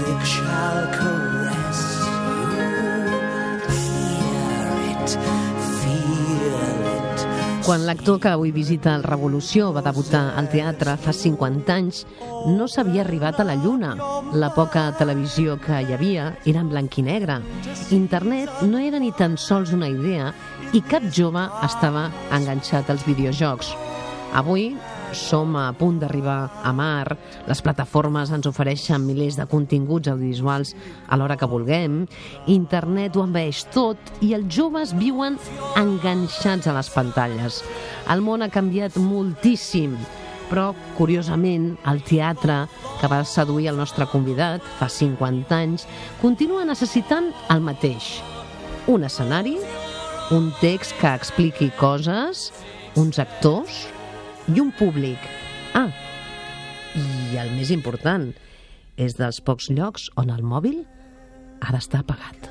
music shall caress you. Hear it, feel it. Quan l'actor que avui visita el Revolució va debutar al teatre fa 50 anys, no s'havia arribat a la Lluna. La poca televisió que hi havia era en blanc i negre. Internet no era ni tan sols una idea i cap jove estava enganxat als videojocs. Avui som a punt d'arribar a mar, les plataformes ens ofereixen milers de continguts audiovisuals a l'hora que vulguem, internet ho envaeix tot i els joves viuen enganxats a les pantalles. El món ha canviat moltíssim, però, curiosament, el teatre, que va seduir el nostre convidat fa 50 anys, continua necessitant el mateix. Un escenari, un text que expliqui coses, uns actors i un públic. I el més important, és dels pocs llocs on el mòbil ha d'estar apagat.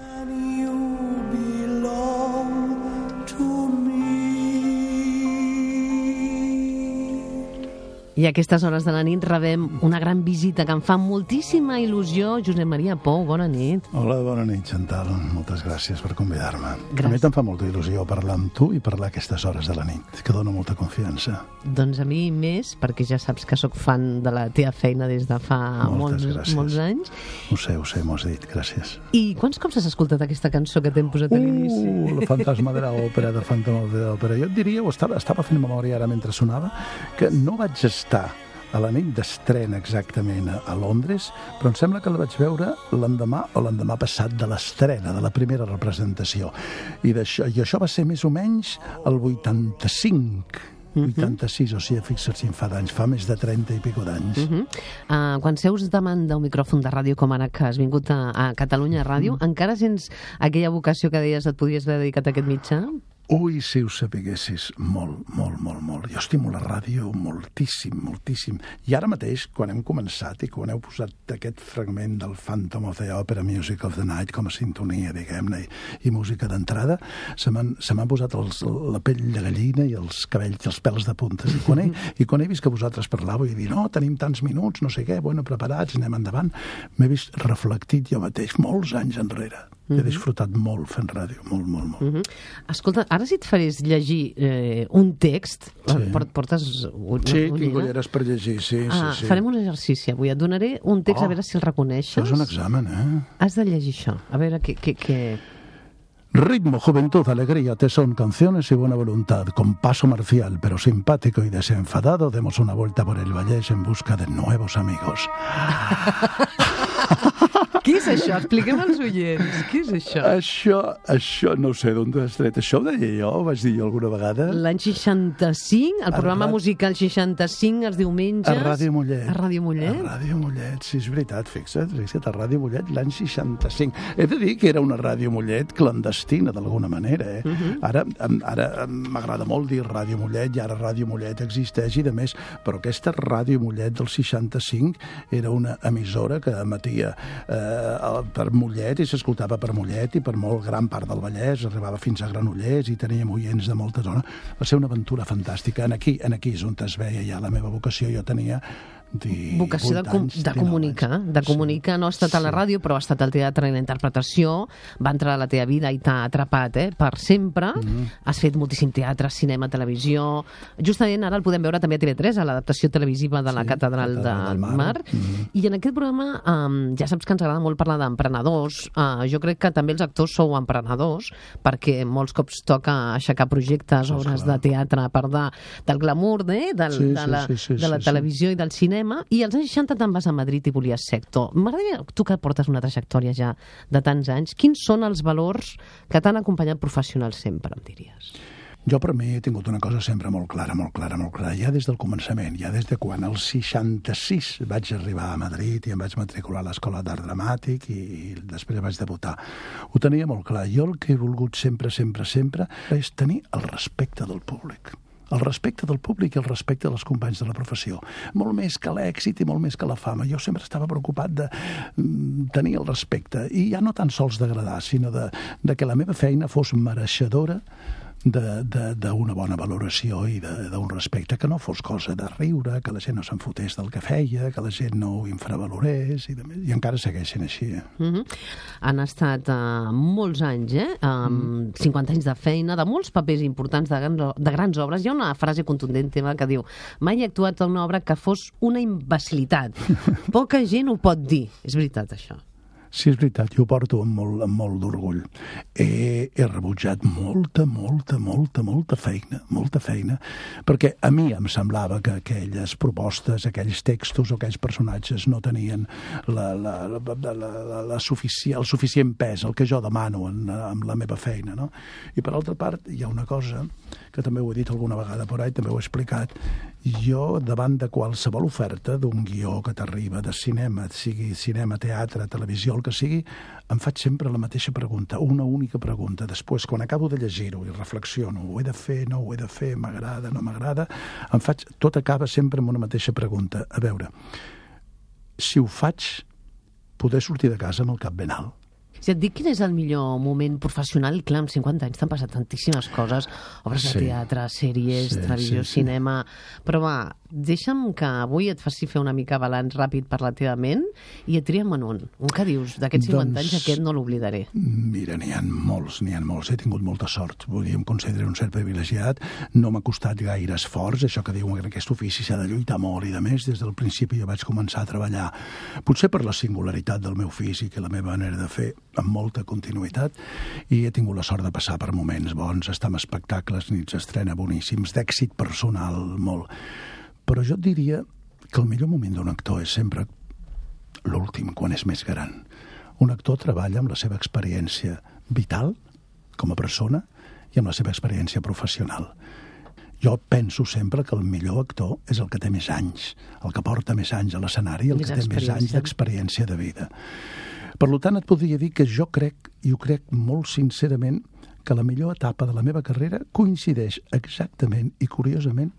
I a aquestes hores de la nit rebem una gran visita que em fa moltíssima il·lusió. Josep Maria Pou, bona nit. Hola, bona nit, Chantal. Moltes gràcies per convidar-me. Gràcies. A mi te'n fa molta il·lusió parlar amb tu i parlar a aquestes hores de la nit, que dona molta confiança. Doncs a mi més, perquè ja saps que sóc fan de la teva feina des de fa molts anys. Ho sé, m'ho has dit, gràcies. I quants cops has escoltat aquesta cançó que t'hem posat a l'inici? El fantasma de l'òpera, de Phantom of the Opera. Jo et diria, estava fent memòria ara mentre sonava, que no vaig estar a la nit d'estrena exactament a Londres, però em sembla que la vaig veure l'endemà o l'endemà passat de l'estrena, de la primera representació. I això va ser més o menys el 85, 86, o sigui, fixa't si em fa d'anys, fa més de 30 i pico d'anys. Quan seus davant d'un micròfon de ràdio com ara que has vingut a Catalunya Ràdio, encara sents aquella vocació que deies et podies haver dedicat a aquest mitjà? Ui, si ho sapiguessis, molt. Jo estimo la ràdio moltíssim. I ara mateix, quan hem començat i quan heu posat aquest fragment del Phantom of the Opera, Music of the Night, com a sintonia, diguem-ne, i música d'entrada, se m'han posat la pell de gallina i els cabells, els pèls de puntes. I quan he vist que vosaltres parlàveu i dir, no, tenim tants minuts, no sé què, bueno, preparats, anem endavant, m'he vist reflectit jo mateix, molts anys enrere. He disfrutat molt fent ràdio, molt. Escolta, ara si et farés llegir un text, portes un tinc ulleres per llegir, sí. Farem un exercici avui, et donaré un text a veure si el reconeixes. Això és un examen, Has de llegir això, a veure què... Ritmo, juventud, alegría, tesón, canciones y buena voluntad. Con paso marcial, pero simpático y desenfadado, demos una vuelta por el Vallès en busca de nuevos amigos. Què és això? Expliquem als oients. Què és això? Això no sé d'on has tret. Això ho deia jo, ho vaig dir jo alguna vegada. L'any 65, el programa musical 65, els diumenges... A Ràdio Mollet. A Ràdio Mollet? A Ràdio Mollet, sí, és veritat, fixa't, a Ràdio Mollet l'any 65. He de dir que era una Ràdio Mollet clandestina, d'alguna manera, Ara m'agrada molt dir Ràdio Mollet, i ara Ràdio Mollet existeix i de més, però aquesta Ràdio Mollet del 65 era una emissora que emetia per Mollet i s'escoltava per Mollet i per molt gran part del Vallès, arribava fins a Granollers i teníem oients de molta zona. Va ser una aventura fantàstica. Aquí és on es veia ja la meva vocació. Jo tenia vocació de comunicar, no ha estat a la ràdio, però ha estat al teatre i la interpretació, va entrar a la teva vida i t'ha atrapat, per sempre. Has fet moltíssim teatre, cinema, televisió. Justament ara el podem veure també a TV3, a l'adaptació televisiva de la Catedral del Mar. I en aquest programa ja saps que ens agrada molt parlar d'emprenedors. Jo crec que també els actors sou emprenedors, perquè molts cops toca aixecar projectes, obres de teatre, a part del glamour, de la televisió i del cinema. I als anys 60 te'n vas a Madrid i volies ser actor. M'agradaria, tu que portes una trajectòria ja de tants anys, quins són els valors que t'han acompanyat professional sempre, em diries? Jo per mi he tingut una cosa sempre molt clara, ja des del començament, ja des de quan al 66 vaig arribar a Madrid i em vaig matricular a l'Escola d'Art Dramàtic i després vaig debutar. Ho tenia molt clar. Jo el que he volgut sempre és tenir el respecte del públic. El respecte del públic i el respecte dels companys de la professió. Molt més que l'èxit i molt més que la fama. Jo sempre estava preocupat de tenir el respecte i ja no tan sols d'agradar, sinó de que la meva feina fos mereixedora d'una bona valoració i d'un respecte, que no fos cosa de riure, que la gent no se'n fotés del que feia, que la gent no ho infravalorés, i encara segueixen així. Han estat molts anys, 50 anys de feina, de molts papers importants, de grans obres. Hi ha una frase contundent teva que diu: mai he actuat a una obra que fos una imbecilitat. Poca gent ho pot dir. És veritat, això? Sí, és veritat, jo ho porto amb molt d'orgull. He rebutjat molta feina, perquè a mi em semblava que aquelles propostes, aquells textos o aquells personatges no tenien el suficient pes, el que jo demano amb la meva feina, no? I per altra part, hi ha una cosa que també ho he dit alguna vegada por ahí, també ho he explicat. Jo, davant de qualsevol oferta d'un guió que t'arriba de cinema, sigui cinema, teatre, televisió, el que sigui, em faig sempre la mateixa pregunta, una única pregunta. Després, quan acabo de llegir-ho i reflexiono, ho he de fer, no ho he de fer, m'agrada, no m'agrada, tot acaba sempre amb una mateixa pregunta. A veure, si ho faig, poder sortir de casa amb el cap ben alt. Si et dic quin és el millor moment professional, clar, amb 50 anys t'han passat tantíssimes coses, obres de teatre, sèries, televisió, cinema, però va, deixa'm que avui et faci fer una mica balanç ràpid per la teva ment i et triem en un que dius, d'aquests 50 anys aquest no l'oblidaré. Mira, n'hi ha molts, he tingut molta sort, vull dir, em considero un cert privilegiat, no m'ha costat gaire esforç, això que diuen que aquest ofici s'ha de lluitar molt i de més, des del principi jo vaig començar a treballar, potser per la singularitat del meu físic i la meva manera de fer, amb molta continuïtat, i he tingut la sort de passar per moments bons, estar en espectacles, nits d'estrena boníssims, d'èxit personal molt. Però jo et diria que el millor moment d'un actor és sempre l'últim, quan és més gran. Un actor treballa amb la seva experiència vital, com a persona, i amb la seva experiència professional. Jo penso sempre que el millor actor és el que té més anys, el que porta més anys a l'escenari, el que té més anys d'experiència de vida. Per tant, et podria dir que jo crec, i ho crec molt sincerament, que la millor etapa de la meva carrera coincideix exactament i curiosament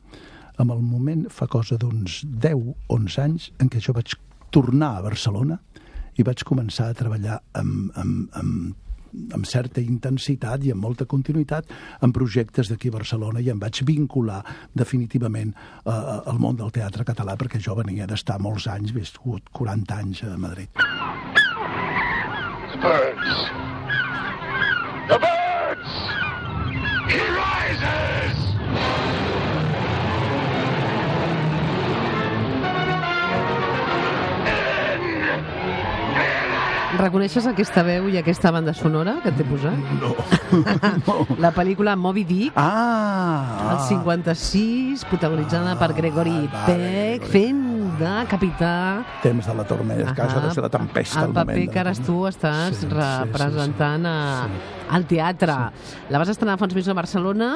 amb el moment, fa cosa d'uns 10-11 anys, en què jo vaig tornar a Barcelona i vaig començar a treballar amb certa intensitat i amb molta continuïtat en projectes d'aquí a Barcelona, i em vaig vincular definitivament al món del teatre català, perquè jo venia d'estar molts anys, he viscut 40 anys a Madrid. Birds! The birds! He rises! Reconeixes aquesta veu i aquesta banda sonora que t'he posat? No. La pel·lícula Moby Dick, el 56, protagonitzada per Gregory Peck, fent de capità. Temps de la tormenta, que això de ser la tempesta. El paper que ara tu estàs representant al teatre. La vas estrenar fa uns mesos a Barcelona.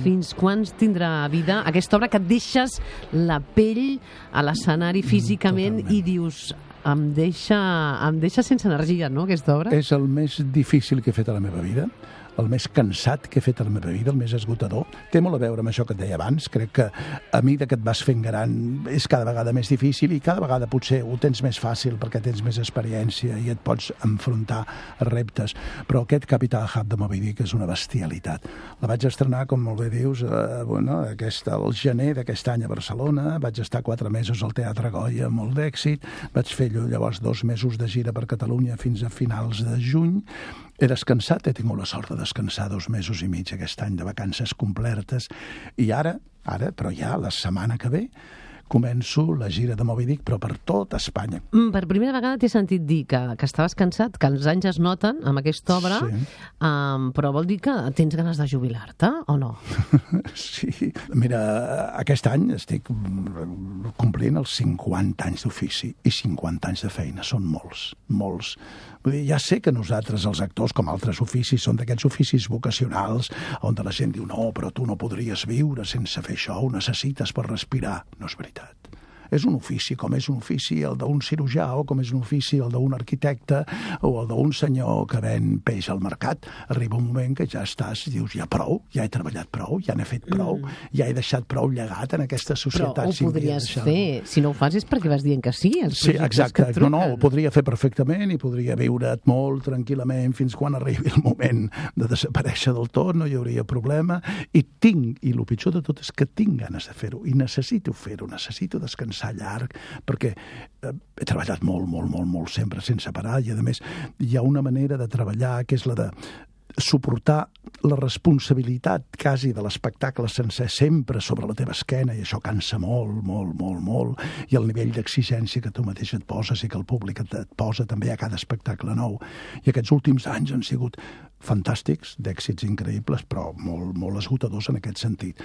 Fins quan tindrà vida aquesta obra que et deixes la pell a l'escenari físicament i dius... Em deixa sense energia, no, aquesta obra? És el més difícil que he fet a la meva vida, el més cansat que he fet a la meva vida, el més esgotador. Té molt a veure amb això que et deia abans. Crec que a mesura que et vas fent gran és cada vegada més difícil i cada vegada potser ho tens més fàcil perquè tens més experiència i et pots enfrontar a reptes. Però aquest Capità Ahab de Moby Dick és una bestialitat. La vaig estrenar, com molt bé dius, al gener d'aquest any a Barcelona. Vaig estar 4 mesos al Teatre Goya, molt d'èxit. Vaig fer llavors 2 mesos de gira per Catalunya fins a finals de juny. He descansat, he tingut la sort de descansar 2 mesos i mig aquest any de vacances completes, i ara, però ja la setmana que ve, començo la gira de Moby Dick, però per tot Espanya. Per primera vegada t'he sentit dir que estaves cansat, que els anys es noten amb aquesta obra, però vol dir que tens ganes de jubilar-te, o no? Sí. Mira, aquest any estic complint els 50 anys d'ofici i 50 anys de feina. Són molts, molts. Vull dir, ja sé que nosaltres, els actors, com altres oficis, són d'aquests oficis vocacionals on la gent diu no, però tu no podries viure sense fer això, ho necessites per respirar. No és veritat. És un ofici, com és un ofici el d'un cirurgià, o com és un ofici el d'un arquitecte, o el d'un senyor que ven peix al mercat. Arriba un moment que ja estàs, dius, ja prou, ja he treballat prou, ja n'he fet prou, ja he deixat prou llegat en aquesta societat. Però ho podries fer. Si no ho fas és perquè vas dient que sí, els projectes exacte. que et truquen. No, ho podria fer perfectament i podria viure't molt tranquil·lament fins quan arribi el moment de desaparèixer del tot, no hi hauria problema. I el pitjor de tot és que tinc ganes de fer-ho i necessito fer-ho, necessito descansar llarg, perquè he treballat molt sempre sense parar, i a més hi ha una manera de treballar que és la de suportar la responsabilitat quasi de l'espectacle sencer sempre sobre la teva esquena, i això cansa molt, i el nivell d'exigència que tu mateix et poses i que el públic et posa també a cada espectacle nou. I aquests últims anys han sigut fantàstics, d'èxits increïbles, però molt esgotadors en aquest sentit.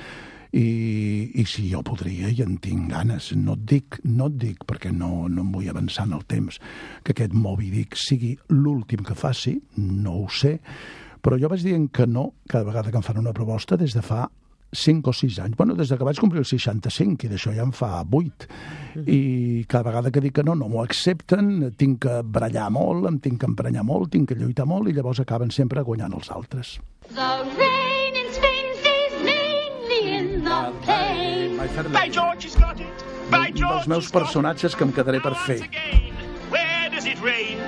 I si jo podria, i en tinc ganes, no et dic perquè no em vull avançar en el temps, que aquest Moby Dick sigui l'últim que faci, no ho sé, però jo vaig dient que no cada vegada que em fan una proposta des de fa 5 o 6 anys. Bueno, des que vaig complir els 65, i d'això ja en fa 8. I cada vegada que dic que no m'ho accepten, tinc que barallar molt, em tinc que emprenyar molt, tinc que lluitar molt, i llavors acaben sempre guanyant els altres. The rain in Spain stays mainly in the plain. By George, he's got it. By Un George, dels meus personatges que em quedaré per fer. Where does it rain?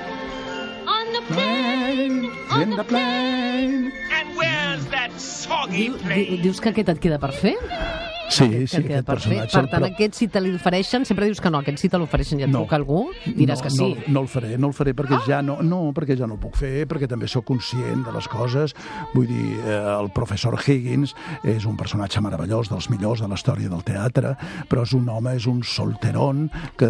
On the plain, on the plain. And where's that soggy plain? Dius que aquest et queda per fer? Sí, Que et queda aquest per fer. personatge. Per tant, aquest si te l'ofereixen, sempre dius que no, aquest si te l'ofereixen i et truca algú, diràs que sí. No el faré perquè ja no el puc fer, perquè també sóc conscient de les coses. Vull dir, el professor Higgins és un personatge meravellós, dels millors de la història del teatre, però és un home, és un solterón que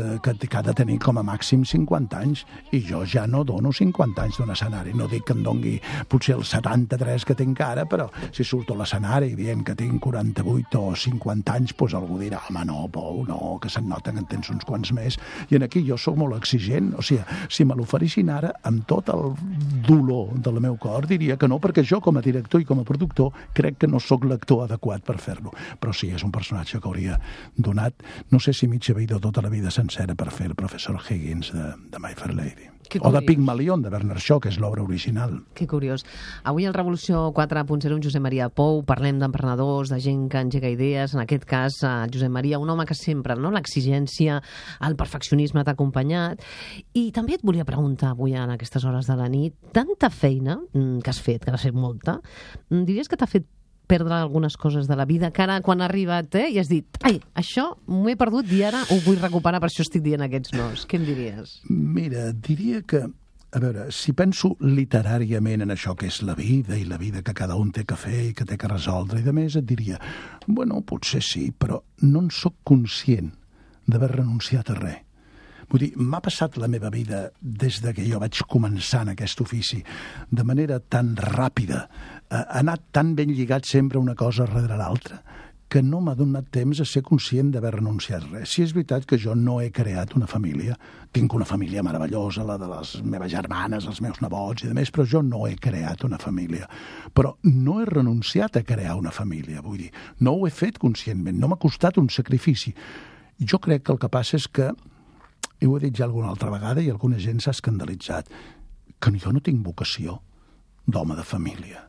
ha de tenir com a màxim 50 anys, i jo ja no dono 50 anys d'un escenari. No dic que em dongui potser els 73 que tinc ara, però si surto a l'escenari dient que tinc 48 o 50 anys, doncs algú dirà, home, no, Pou, no, que se'n nota que en tens uns quants més. I aquí jo sóc molt exigent, o sigui, si me l'oferissin ara, amb tot el dolor del meu cor, diria que no, perquè jo, com a director i com a productor, crec que no sóc l'actor adequat per fer-lo. Però sí, és un personatge que hauria donat, no sé si mitja vida o tota la vida sencera per fer el professor Higgins de My Fair Lady. O de Pigmalion, de Bernard Shaw, que és l'obra original. Que curiós. Avui al Revolució 4.0 amb Josep Maria Pou parlem d'emprenedors, de gent que engega idees, en aquest cas Josep Maria, un home que sempre, no, l'exigència, el perfeccionisme t'ha acompanyat. I també et volia preguntar avui en aquestes hores de la nit, tanta feina que has fet, que has fet molta, diries que t'ha fet perdre algunes coses de la vida, que ara quan ha arribat i has dit, ai, això m'ho he perdut i ara ho vull recuperar, per això estic dient aquests nos. Què em diries? Mira, diria que, a veure, si penso literàriament en això que és la vida i la vida que cada un té que fer i que té que resoldre i de més, et diria, bueno, potser sí, però no en sóc conscient d'haver renunciat a res. Vull dir, m'ha passat la meva vida des de que jo vaig començar en aquest ofici de manera tan ràpida, ha anat tan ben lligat sempre una cosa darrere l'altra, que no m'ha donat temps a ser conscient d'haver renunciat res. Si és veritat que jo no he creat una família, tinc una família meravellosa, la de les meves germanes, els meus nebots i de més, però jo no he creat una família. Però no he renunciat a crear una família, vull dir, no ho he fet conscientment, no m'ha costat un sacrifici. Jo crec que el que passa és que, i ho he dit ja alguna altra vegada i alguna gent s'ha escandalitzat, que jo no tinc vocació d'home de família.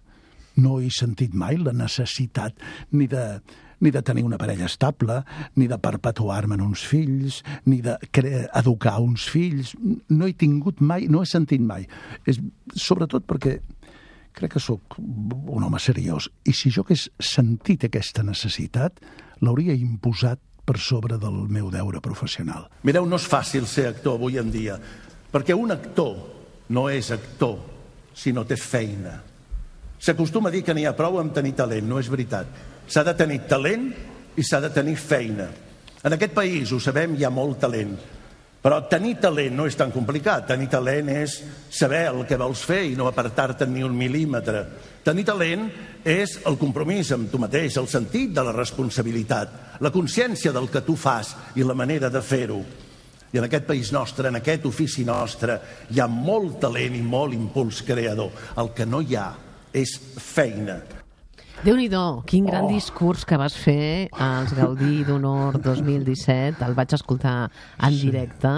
No he sentit mai la necessitat ni de tenir una parella estable, ni de perpetuar-me en uns fills, ni d'educar uns fills. No he tingut mai, no he sentit mai. Sobretot perquè crec que sóc un home seriós. I si jo hagués sentit aquesta necessitat, l'hauria imposat per sobre del meu deure professional. Mireu, no és fàcil ser actor avui en dia, perquè un actor no és actor si no té feina. S'acostuma a dir que n'hi ha prou amb tenir talent, no és veritat. S'ha de tenir talent i s'ha de tenir feina. En aquest país, ho sabem, hi ha molt talent, però tenir talent no és tan complicat. Tenir talent és saber el que vols fer i no apartar-te ni un mil·límetre. Tenir talent és el compromís amb tu mateix, el sentit de la responsabilitat, la consciència del que tu fas i la manera de fer-ho. I en aquest país nostre, en aquest ofici nostre, hi ha molt talent i molt impuls creador. El que no hi ha és feina. Déu-n'hi-do, quin gran discurs que vas fer als Gaudí d'Honor 2017. El vaig escoltar en directe.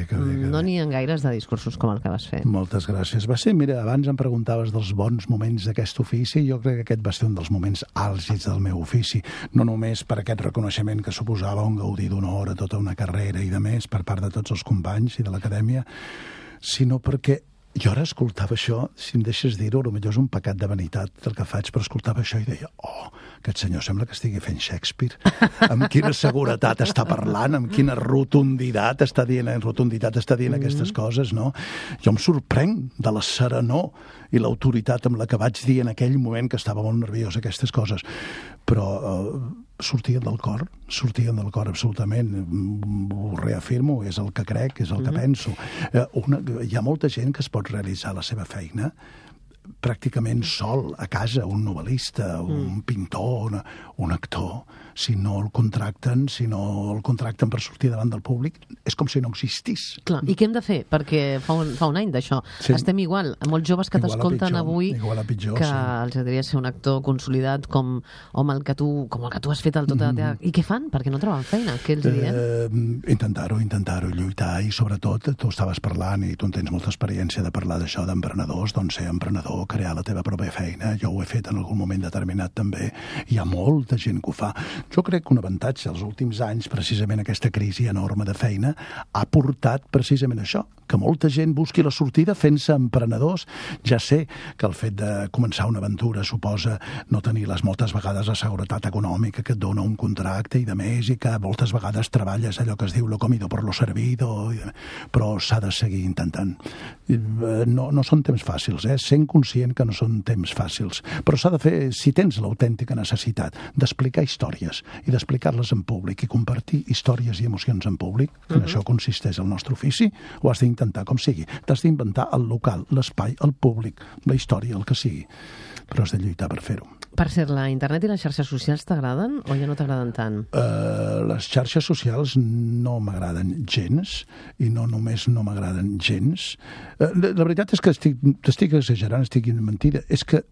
Que bé. No n'hi ha gaires de discursos com el que vas fer. Moltes gràcies. Va ser, mira, abans em preguntaves dels bons moments d'aquest ofici. Jo crec que aquest va ser un dels moments àlgids del meu ofici. No només per aquest reconeixement que suposava un Gaudí d'Honor a tota una carrera i de més per part de tots els companys i de l'acadèmia, sinó perquè jo ara escoltava això, si em deixes dir-ho, potser és un pecat de vanitat el que faig, però escoltava això i deia, aquest senyor sembla que estigui fent Shakespeare. Amb quina seguretat està parlant, amb quina rotunditat està dient aquestes coses, no? Jo em sorprenc de la serenor i l'autoritat amb la que vaig dir en aquell moment que estava molt nerviós aquestes coses, però sortien del cor absolutament, ho reafirmo, és el que crec, és el que penso. Hi ha molta gent que es pot realitzar la seva feina pràcticament sol, a casa, un novel·lista, un pintor, un actor. Si no el contracten per sortir davant del públic, és com si no existís. Clar, i què hem de fer? Perquè fa un any d'això. Sí. Estem igual, molts joves que t'escolten avui, que els agradaria ser un actor consolidat com el que tu has fet al tot de teatre. I què fan? Perquè no troben feina. Què els diem? Intentar-ho, lluitar, i sobretot, tu estaves parlant, i tu en tens molta experiència de parlar d'això d'emprenedors, doncs ser emprenedor, crear la teva pròpia feina. Jo ho he fet en algun moment determinat també. Hi ha molta gent que ho fa. Jo crec que un avantatge als últims anys, precisament aquesta crisi enorme de feina, ha portat precisament això, que molta gent busqui la sortida fent-se emprenedors. Ja sé que el fet de començar una aventura suposa no tenir moltes vegades la seguretat econòmica que et dona un contracte i de més, i que moltes vegades treballes allò que es diu lo comido por lo servido, però s'ha de seguir intentant. No són temps fàcils, sent conscient que no són temps fàcils, però s'ha de fer, si tens l'autèntica necessitat d'explicar històries i d'explicar-les en públic i compartir històries i emocions en públic, que en això consisteix el nostre ofici, ho has d'intentar com sigui. T'has d'inventar el local, l'espai, el públic, la història, el que sigui, però has de lluitar per fer-ho. Per cert, la internet i les xarxes socials t'agraden o ja no t'agraden tant? Les xarxes socials no m'agraden gens, i no només no m'agraden gens. La veritat és que t'estic exagerant, estic dient mentida, és que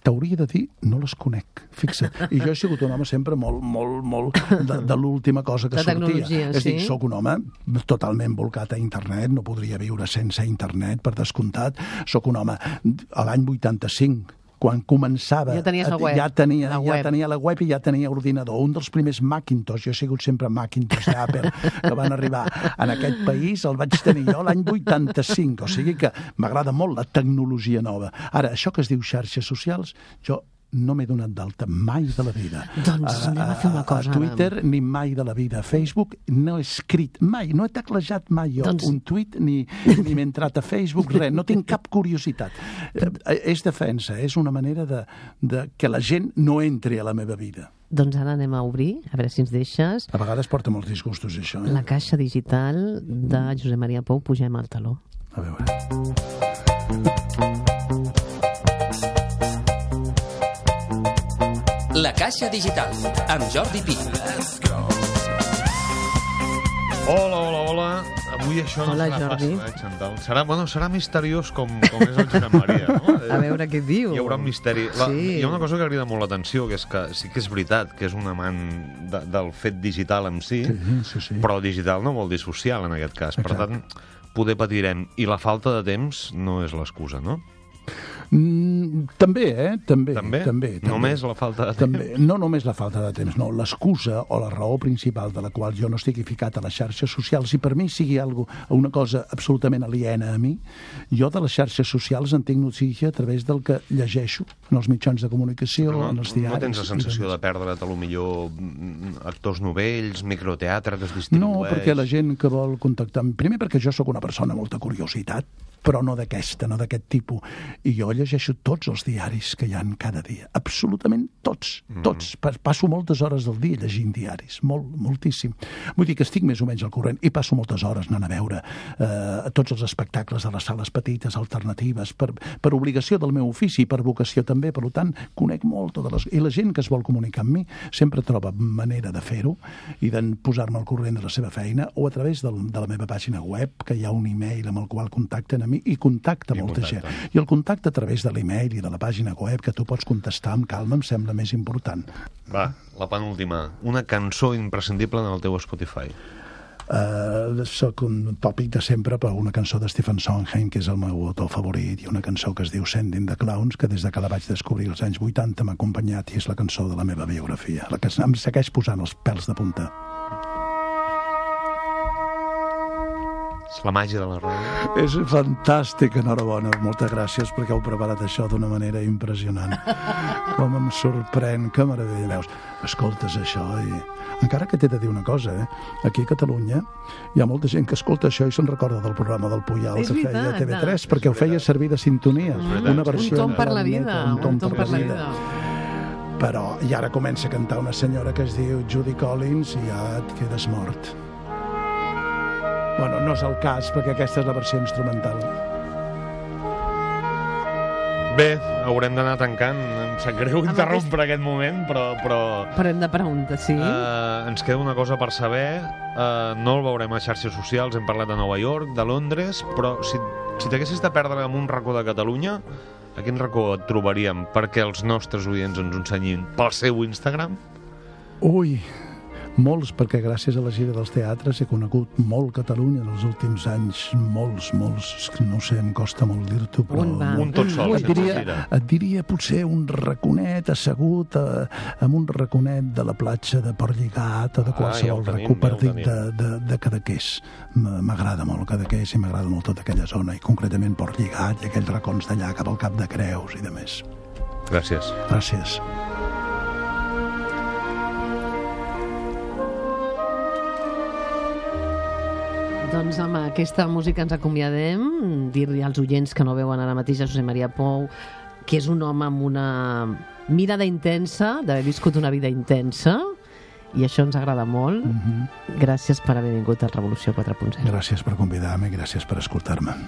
t'hauria de dir, no les conec, fixa't. I jo he sigut un home sempre molt de l'última cosa que sortia. És dir, soc un home totalment volcat a internet, no podria viure sense internet, per descomptat. Soc un home, a l'any 85, quan començava, ja tenia la web i ja tenia ordinador. Un dels primers Macintosh, jo he sigut sempre Macintosh d'Apple, que van arribar en aquest país, el vaig tenir jo l'any 85, o sigui que m'agrada molt la tecnologia nova. Ara, això que es diu xarxes socials, jo no m'he donat d'alta mai de la vida. Doncs anem a fer una cosa. A Twitter ni mai de la vida. A Facebook no he escrit mai, no he teclejat mai jo un tuit, ni m'he entrat a Facebook, res, no tinc cap curiositat. És defensa, és una manera de que la gent no entri a la meva vida. Doncs ara anem a obrir, a veure si ens deixes. A vegades porta molts disgustos, això. La caixa digital de Josep Maria Pou, pugem al taló. A veure. La caixa digital, amb Jordi Pi. Hola. Avui això no serà fàcil, Xantal. Serà misteriós com és el Josep Maria, no? A veure què diu. Hi haurà un misteri. Hi ha una cosa que crida molt l'atenció, que és que sí que és veritat que és un amant del fet digital en si, però digital no vol dir social, en aquest cas. Per tant, poder patirem. I la falta de temps no és l'excusa, no? També. Només la falta de temps? No només la falta de temps, no. L'excusa o la raó principal de la qual jo no estigui ficat a les xarxes socials, i per mi sigui una cosa absolutament aliena a mi, jo de les xarxes socials en tinc notícia a través del que llegeixo en els mitjans de comunicació, en els diaris. No tens la sensació de perdre't, potser actors novells, microteatre que es distribueix? No, perquè la gent que vol contactar... Primer perquè jo sóc una persona amb molta curiositat, però no d'aquest tipus. I jo llegeixo tots els diaris que hi ha cada dia. Absolutament tots. Passo moltes hores del dia llegint diaris. Moltíssim. Vull dir que estic més o menys al corrent i passo moltes hores anant a veure tots els espectacles de les sales petites, alternatives, per obligació del meu ofici i per vocació també. Per tant, conec molt totes les... I la gent que es vol comunicar amb mi sempre troba manera de fer-ho i de posar-me al corrent de la seva feina, o a través de la meva pàgina web, que hi ha un e-mail amb el qual contacten a mi, i contacta molta gent. I el contacte a través de l'email i de la pàgina web, que tu pots contestar amb calma, em sembla més important. Va, la penúltima. Una cançó imprescindible en el teu Spotify. Soc un tòpic de sempre, però una cançó de Stephen Sondheim, que és el meu autor favorit, i una cançó que es diu Sending the Clowns, que des de que la vaig descobrir als anys 80 m'ha acompanyat i és la cançó de la meva biografia, la que em segueix posant els pèls de punta. És la màgia de la ràdio. És fantàstic, enhorabona. Moltes gràcies perquè heu preparat això d'una manera impressionant. Com em sorprèn, que meravella. Veus, escoltes això i... Encara que t'he de dir una cosa, aquí a Catalunya hi ha molta gent que escolta això i se'n recorda del programa del Puyal que feia TV3, perquè ho feia servir de sintonia. Una versió un tom per la vida. Un tom per la vida. Però i ara comença a cantar una senyora que es diu Judy Collins i ja et quedes mort. Bueno, no és el cas, perquè aquesta és la versió instrumental. Bé, haurem d'anar tancant. Em sap greu interrompre aquest moment, però... Però hem de preguntar, sí. Ens queda una cosa per saber. No el veurem a xarxes socials, hem parlat de Nova York, de Londres, però si t'haguessis de perdre en un racó de Catalunya, a quin racó et trobaríem perquè els nostres oients ens ensenyin pel seu Instagram? Ui, molts, perquè gràcies a la gira dels teatres he conegut molt Catalunya en els últims anys, molts, no sé, em costa molt dir-t'ho, però... Un tot sol, et diria potser un raconet assegut en un raconet de la platja de Portlligat o de qualsevol racó perdit de Cadaqués. M'agrada molt Cadaqués i m'agrada molt tota aquella zona, i concretament Portlligat i aquells racons d'allà cap al Cap de Creus i de més. Gràcies. Gràcies. Doncs amb aquesta música ens acomiadem. Dir-li als oients que no veuen ara mateix a Josep Maria Pou que és un home amb una mirada intensa, d'haver viscut una vida intensa, i això ens agrada molt. Gràcies per haver vingut a Revolució 4.0. Gràcies per convidar-me i gràcies per escoltar-me.